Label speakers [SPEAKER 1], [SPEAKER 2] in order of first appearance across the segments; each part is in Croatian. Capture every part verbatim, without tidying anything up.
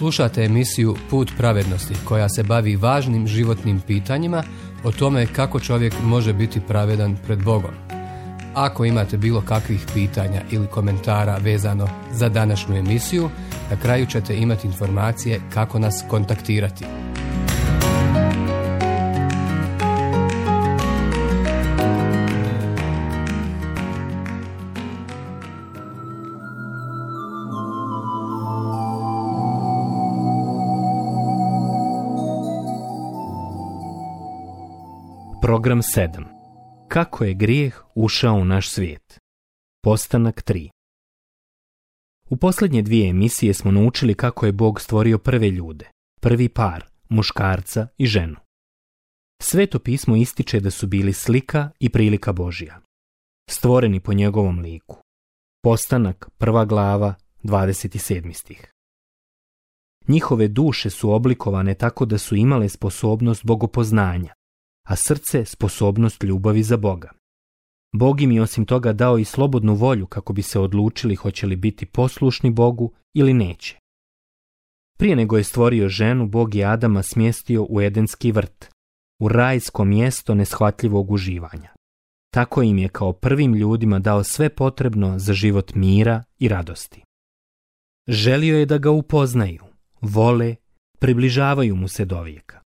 [SPEAKER 1] Slušate emisiju Put pravednosti koja se bavi važnim životnim pitanjima o tome kako čovjek može biti pravedan pred Bogom. Ako imate bilo kakvih pitanja ili komentara vezano za današnju emisiju, na kraju ćete imati informacije kako nas kontaktirati.
[SPEAKER 2] Program sedam. Kako je grijeh ušao u naš svijet? Postanak tri. U posljednje dvije emisije smo naučili kako je Bog stvorio prve ljude, prvi par, muškarca i ženu. Sveto pismo ističe da su bili slika i prilika Božja, stvoreni po njegovom liku. Postanak, prva glava, dvadeset sedmi stih. Njihove duše su oblikovane tako da su imale sposobnost bogopoznanja, a srce sposobnost ljubavi za Boga. Bog im je osim toga dao i slobodnu volju kako bi se odlučili hoće li biti poslušni Bogu ili neće. Prije nego je stvorio ženu, Bog je Adama smjestio u Edenski vrt, u rajsko mjesto neshvatljivog uživanja. Tako im je kao prvim ljudima dao sve potrebno za život mira i radosti. Želio je da ga upoznaju, vole, približavaju mu se dovijeka.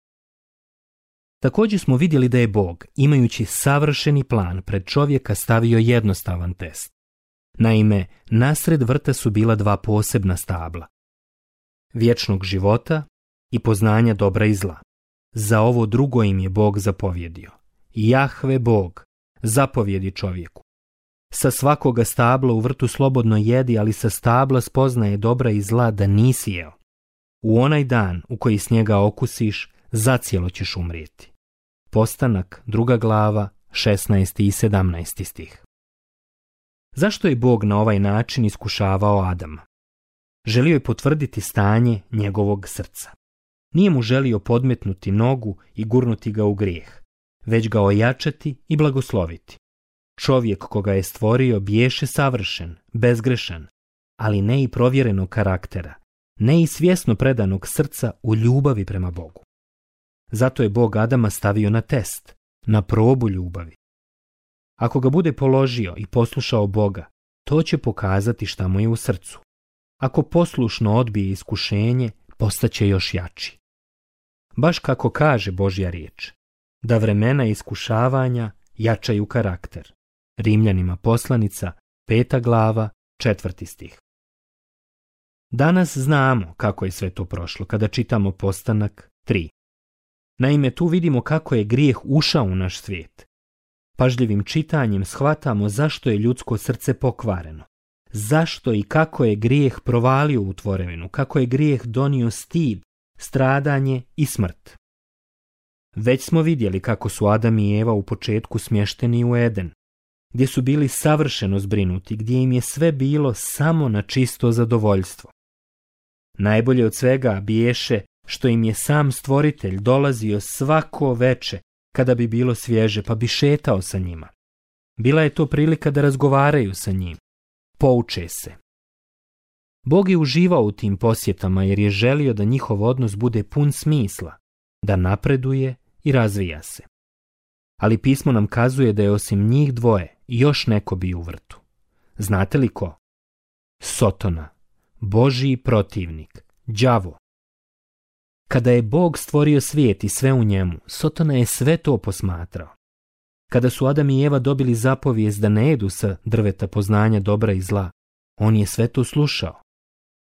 [SPEAKER 2] Također smo vidjeli da je Bog, imajući savršeni plan, pred čovjeka stavio jednostavan test. Naime, nasred vrta su bila dva posebna stabla. Vječnog života i poznanja dobra i zla. Za ovo drugo im je Bog zapovjedio. Jahve Bog zapovjedi čovjeku. Sa svakoga stabla u vrtu slobodno jedi, ali sa stabla spoznaje dobra i zla da nisi jeo. U onaj dan u koji s njega okusiš, zacijelo ćeš umrijeti. Postanak, druga glava, šesnaesti i sedamnaesti stih. Zašto je Bog na ovaj način iskušavao Adama? Želio je potvrditi stanje njegovog srca. Nije mu želio podmetnuti nogu i gurnuti ga u grijeh, već ga ojačati i blagosloviti. Čovjek koga je stvorio biješe savršen, bezgrešan, ali ne i provjerenog karaktera, ne i svjesno predanog srca u ljubavi prema Bogu. Zato je Bog Adama stavio na test, na probu ljubavi. Ako ga bude položio i poslušao Boga, to će pokazati šta mu je u srcu. Ako poslušno odbije iskušenje, postaće još jači. Baš kako kaže Božja riječ, da vremena iskušavanja jačaju karakter. Rimljanima poslanica, peta glava, četvrti stih. Danas znamo kako je sve to prošlo kada čitamo Postanak tri. Naime, tu vidimo kako je grijeh ušao u naš svijet. Pažljivim čitanjem shvatamo zašto je ljudsko srce pokvareno. Zašto i kako je grijeh provalio u tvorevinu, kako je grijeh donio stid, stradanje i smrt. Već smo vidjeli kako su Adam i Eva u početku smješteni u Eden, gdje su bili savršeno zbrinuti, gdje im je sve bilo samo na čisto zadovoljstvo. Najbolje od svega biješe što im je sam stvoritelj dolazio svako veče kada bi bilo svježe, pa bi šetao sa njima. Bila je to prilika da razgovaraju sa njim, pouče se. Bog je uživao u tim posjetama jer je želio da njihov odnos bude pun smisla, da napreduje i razvija se. Ali pismo nam kazuje da je osim njih dvoje još neko bio u vrtu. Znate li ko? Sotona, Božji protivnik, đavo. Kada je Bog stvorio svijet i sve u njemu, Sotona je sve to posmatrao. Kada su Adam i Eva dobili zapovijest da ne jedu sa drveta poznanja dobra i zla, on je sve to slušao,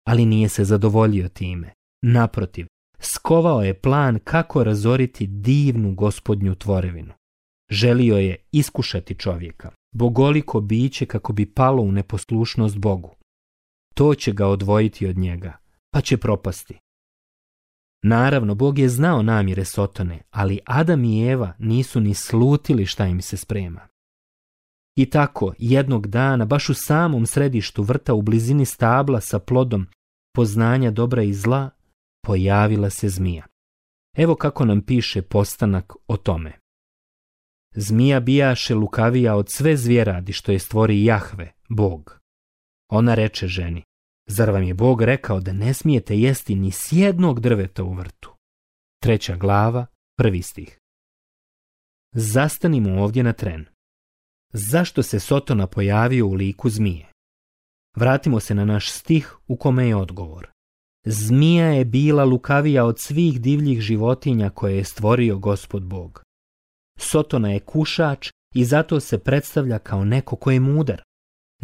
[SPEAKER 2] ali nije se zadovoljio time. Naprotiv, skovao je plan kako razoriti divnu Gospodnju tvorevinu. Želio je iskušati čovjeka, bogoliko biće kako bi palo u neposlušnost Bogu. To će ga odvojiti od njega, pa će propasti. Naravno, Bog je znao namjere Sotone, ali Adam i Eva nisu ni slutili šta im se sprema. I tako, jednog dana, baš u samom središtu vrta u blizini stabla sa plodom poznanja dobra i zla, pojavila se zmija. Evo kako nam piše Postanak o tome. Zmija bijaše lukavija od sve zvjeradi što je stvori Jahve, Bog. Ona reče ženi, Zar vam je Bog rekao da ne smijete jesti ni s jednog drveta u vrtu? Treća glava, prvi stih. Zastanimo ovdje na tren. Zašto se Sotona pojavio u liku zmije? Vratimo se na naš stih u kome je odgovor. Zmija je bila lukavija od svih divljih životinja koje je stvorio Gospod Bog. Sotona je kušač i zato se predstavlja kao neko ko je mudar.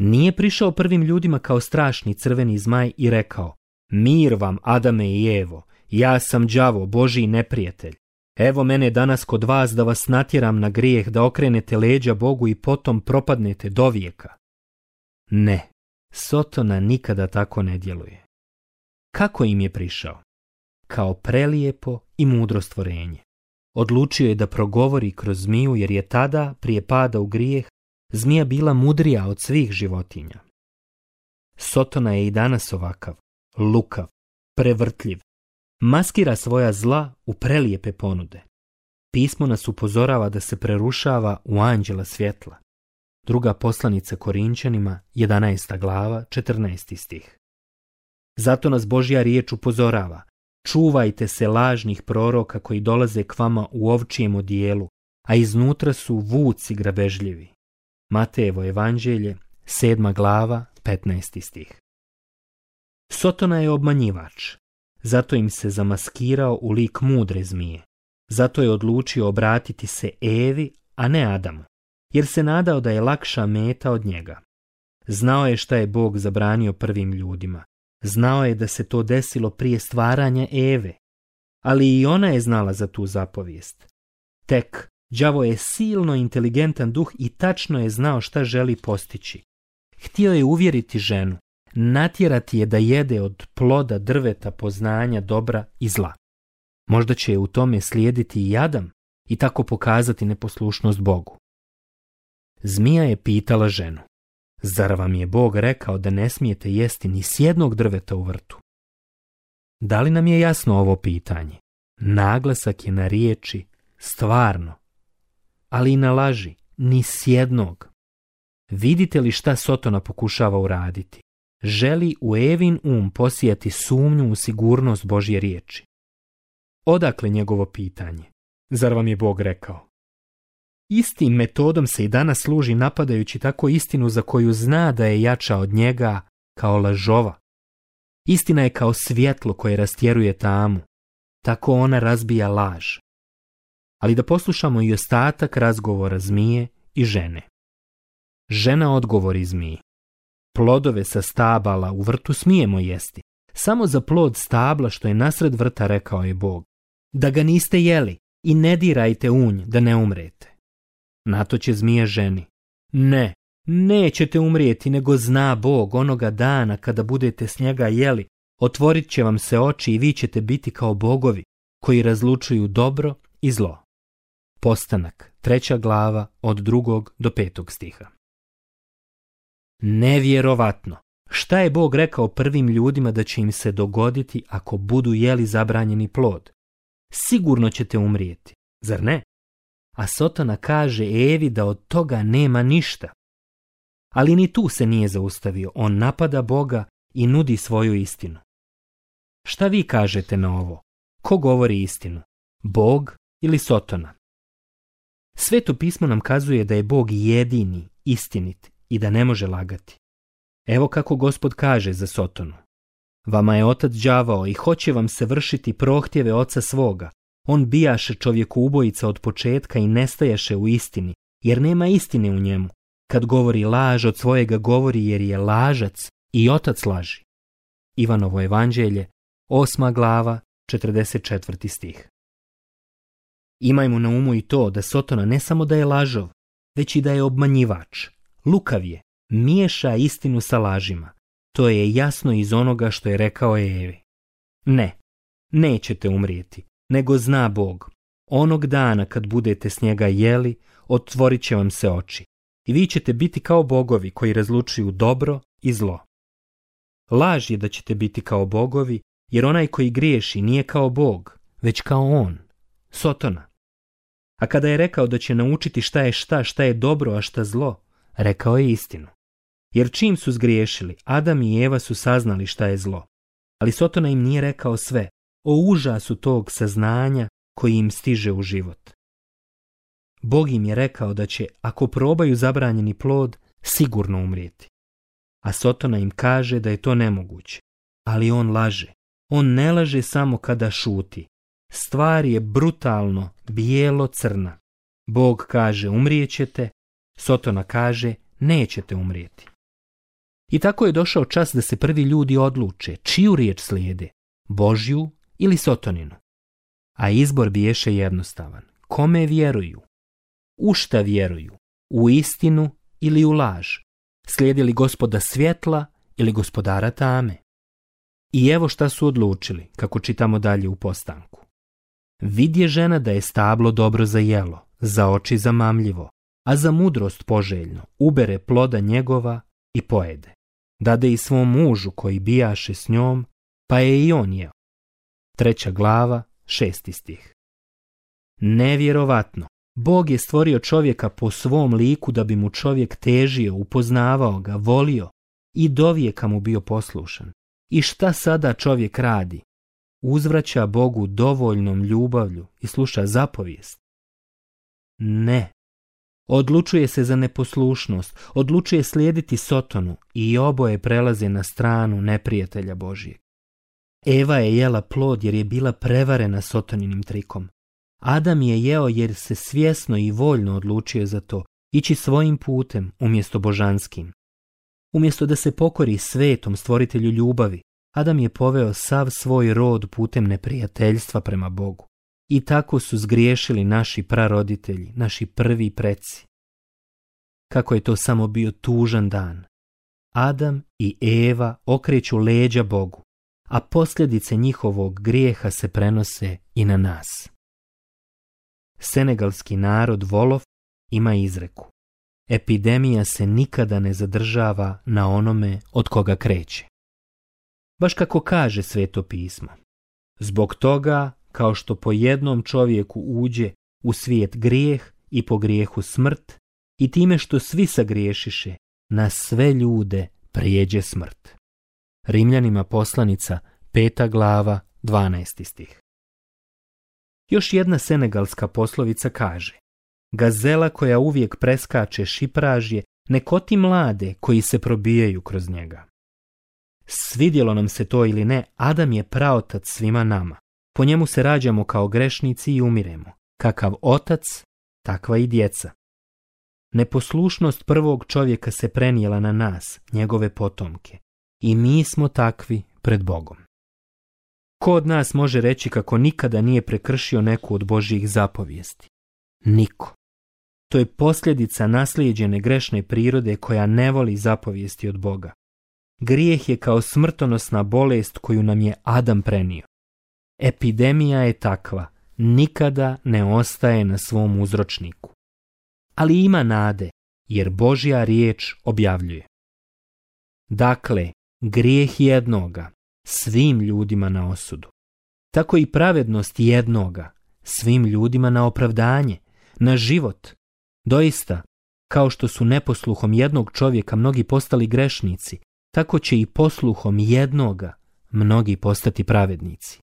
[SPEAKER 2] Nije prišao prvim ljudima kao strašni crveni zmaj i rekao: mir vam, Adame i Evo, ja sam đavo, Božji neprijatelj. Evo mene danas kod vas da vas natjeram na grijeh, da okrenete leđa Bogu i potom propadnete dovijeka. Ne, Sotona nikada tako ne djeluje. Kako im je prišao? Kao prelijepo i mudro stvorenje. Odlučio je da progovori kroz zmiju jer je tada, prije pada u grijeh, zmija bila mudrija od svih životinja. Sotona je i danas ovakav, lukav, prevrtljiv. Maskira svoja zla u prelijepe ponude. Pismo nas upozorava da se prerušava u anđela svjetla. Druga poslanica Korinčanima, jedanaesta glava, četrnaesti stih. Zato nas Božja riječ upozorava: čuvajte se lažnih proroka koji dolaze k vama u ovčijem odijelu, a iznutra su vuci grabežljivi. Matejevo evanđelje, sedma glava, petnaesti stih. Sotona je obmanjivač. Zato im se zamaskirao u lik mudre zmije. Zato je odlučio obratiti se Evi, a ne Adamu, jer se nadao da je lakša meta od njega. Znao je šta je Bog zabranio prvim ljudima. Znao je da se to desilo prije stvaranja Eve, ali i ona je znala za tu zapovijest. Tek, đavo je silno inteligentan duh i tačno je znao šta želi postići. Htio je uvjeriti ženu, natjerati je da jede od ploda drveta poznanja dobra i zla. Možda će je u tome slijediti i Adam i tako pokazati neposlušnost Bogu. Zmija je pitala ženu: zar vam je Bog rekao da ne smijete jesti ni s jednog drveta u vrtu? Da li nam je jasno ovo pitanje? Naglasak je na riječi stvarno, ali i na laži ni s jednog. Vidite li šta Sotona pokušava uraditi? Želi u Evin um posijati sumnju u sigurnost Božje riječi. Odakle njegovo pitanje? Zar vam je Bog rekao? Istim metodom se i danas služi napadajući tako istinu za koju zna da je jača od njega, kao lažova. Istina je kao svjetlo koje rastjeruje tamu. Tako ona razbija laž. Ali da poslušamo i ostatak razgovora zmije i žene. Žena odgovori zmiji: plodove sa stabala u vrtu smijemo jesti. Samo za plod stabla što je nasred vrta rekao je Bog: da ga niste jeli i ne dirajte unj da ne umrete. Na to će zmija ženi: ne, nećete umrijeti, nego zna Bog onoga dana kada budete s njega jeli, otvorit će vam se oči i vi ćete biti kao bogovi koji razlučuju dobro i zlo. Postanak, treća glava, od drugog do petog stiha. Nevjerovatno! Šta je Bog rekao prvim ljudima da će im se dogoditi ako budu jeli zabranjeni plod? Sigurno ćete umrijeti, zar ne? A Sotona kaže Evi da od toga nema ništa. Ali ni tu se nije zaustavio, on napada Boga i nudi svoju istinu. Šta vi kažete na ovo? Ko govori istinu? Bog ili Sotona? Sveto pismo nam kazuje da je Bog jedini, istinit i da ne može lagati. Evo kako Gospod kaže za Sotonu: vama je otac đavao i hoće vam se vršiti prohtjeve oca svoga. On bijaše čovjeku ubojica od početka i nestajaše u istini, jer nema istine u njemu. Kad govori laž, od svojega govori jer je lažac i otac laži. Ivanovo evanđelje, osma glava, četrdeset četvrti stih. Imajmo na umu i to da Sotona ne samo da je lažov, već i da je obmanjivač. Lukav je, miješa istinu sa lažima. To je jasno iz onoga što je rekao Evi. Ne, nećete umrijeti, nego zna Bog. Onog dana kad budete s njega jeli, otvorit će vam se oči. I vi ćete biti kao bogovi koji razlučuju dobro i zlo. Laž je da ćete biti kao bogovi, jer onaj koji griješi nije kao Bog, već kao on, Sotona. A kada je rekao da će naučiti šta je šta, šta je dobro, a šta zlo, rekao je istinu. Jer čim su zgriješili, Adam i Eva su saznali šta je zlo. Ali Sotona im nije rekao sve o užasu tog saznanja koji im stiže u život. Bog im je rekao da će, ako probaju zabranjeni plod, sigurno umrijeti. A Sotona im kaže da je to nemoguće. Ali on laže. On ne laže samo kada šuti. Stvar je brutalno, bijelo-crna. Bog kaže umrijećete, Sotona kaže nećete umrijeti. I tako je došao čas da se prvi ljudi odluče čiju riječ slijede, Božju ili Sotoninu. A izbor biješe jednostavan. Kome vjeruju? U šta vjeruju? U istinu ili u laž? Slijedi li Gospoda svjetla ili gospodara tame? I evo šta su odlučili, kako čitamo dalje u postanku. Vidje žena da je stablo dobro za jelo, za oči zamamljivo, a za mudrost poželjno, ubere ploda njegova i pojede. Dade i svom mužu koji bijaše s njom, pa je i on jeo. Treća glava, šesti stih. Nevjerovatno, Bog je stvorio čovjeka po svom liku da bi mu čovjek težio, upoznavao ga, volio i dovijeka mu bio poslušan. I šta sada čovjek radi? Uzvraća Bogu dovoljnom ljubavlju i sluša zapovijest? Ne. Odlučuje se za neposlušnost, odlučuje slijediti Sotonu i oboje prelaze na stranu neprijatelja Božijeg. Eva je jela plod jer je bila prevarena Sotoninim trikom. Adam je jeo jer se svjesno i voljno odlučio za to, ići svojim putem umjesto božanskim. Umjesto da se pokori svetom stvoritelju ljubavi, Adam je poveo sav svoj rod putem neprijateljstva prema Bogu. I tako su zgriješili naši praroditelji, naši prvi preci. Kako je to samo bio tužan dan. Adam i Eva okreću leđa Bogu, a posljedice njihovog grijeha se prenose i na nas. Senegalski narod Wolof ima izreku: epidemija se nikada ne zadržava na onome od koga kreće. Baš kako kaže Sveto pismo. Zbog toga, kao što po jednom čovjeku uđe u svijet grijeh i po grijehu smrt, i time što svi sagriješiše, na sve ljude prijeđe smrt. Rimljanima poslanica, peta glava, dvanaesti stih. Još jedna senegalska poslovica kaže: gazela koja uvijek preskače šipražje ne koti mlade koji se probijaju kroz njega. Svidjelo nam se to ili ne, Adam je praotac svima nama. Po njemu se rađamo kao grešnici i umiremo. Kakav otac, takva i djeca. Neposlušnost prvog čovjeka se prenijela na nas, njegove potomke. I mi smo takvi pred Bogom. Ko od nas može reći kako nikada nije prekršio neku od Božjih zapovijesti? Niko. To je posljedica naslijeđene grešne prirode koja ne voli zapovijesti od Boga. Grijeh je kao smrtonosna bolest koju nam je Adam prenio. Epidemija je takva, nikada ne ostaje na svom uzročniku. Ali ima nade, jer Božja riječ objavljuje. Dakle, grijeh jednoga, svim ljudima na osudu. Tako i pravednost jednoga, svim ljudima na opravdanje, na život. Doista, kao što su neposluhom jednog čovjeka mnogi postali grešnici, tako će i posluhom jednoga mnogi postati pravednici.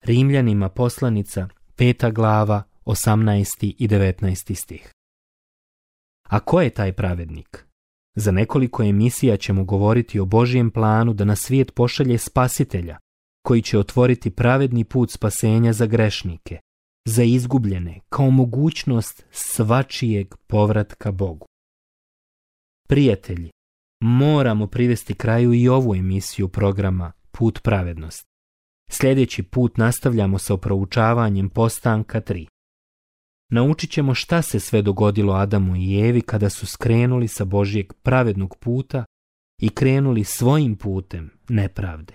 [SPEAKER 2] Rimljanima poslanica, peta glava, osamnaesti i devetnaesti stih. A ko je taj pravednik? Za nekoliko emisija ćemo govoriti o Božjem planu da na svijet pošalje spasitelja, koji će otvoriti pravedni put spasenja za grešnike, za izgubljene, kao mogućnost svačijeg povratka Bogu. Prijatelji, moramo privesti kraju i ovu emisiju programa Put pravednosti. Sljedeći put nastavljamo sa proučavanjem Postanka tri. Naučit ćemo šta se sve dogodilo Adamu i Evi kada su skrenuli sa Božjeg pravednog puta i krenuli svojim putem nepravde.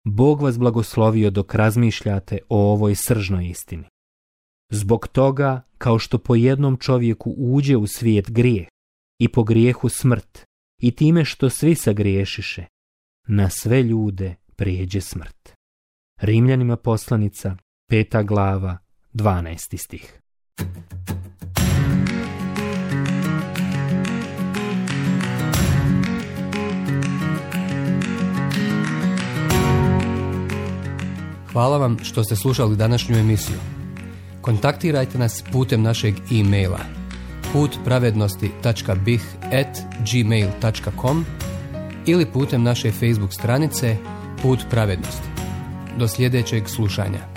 [SPEAKER 2] Bog vas blagoslovio dok razmišljate o ovoj sržnoj istini. Zbog toga, kao što po jednom čovjeku uđe u svijet grijeh i po grijehu smrt, i time što svi sagriješiše, na sve ljude prijeđe smrt. Rimljanima poslanica, peta glava, dvanaesti stih.
[SPEAKER 1] Hvala vam što ste slušali današnju emisiju. Kontaktirajte nas putem našeg e-maila put pravednosti tačka b i h at gmail tačka com ili putem naše Facebook stranice Put pravednosti. Do sljedećeg slušanja.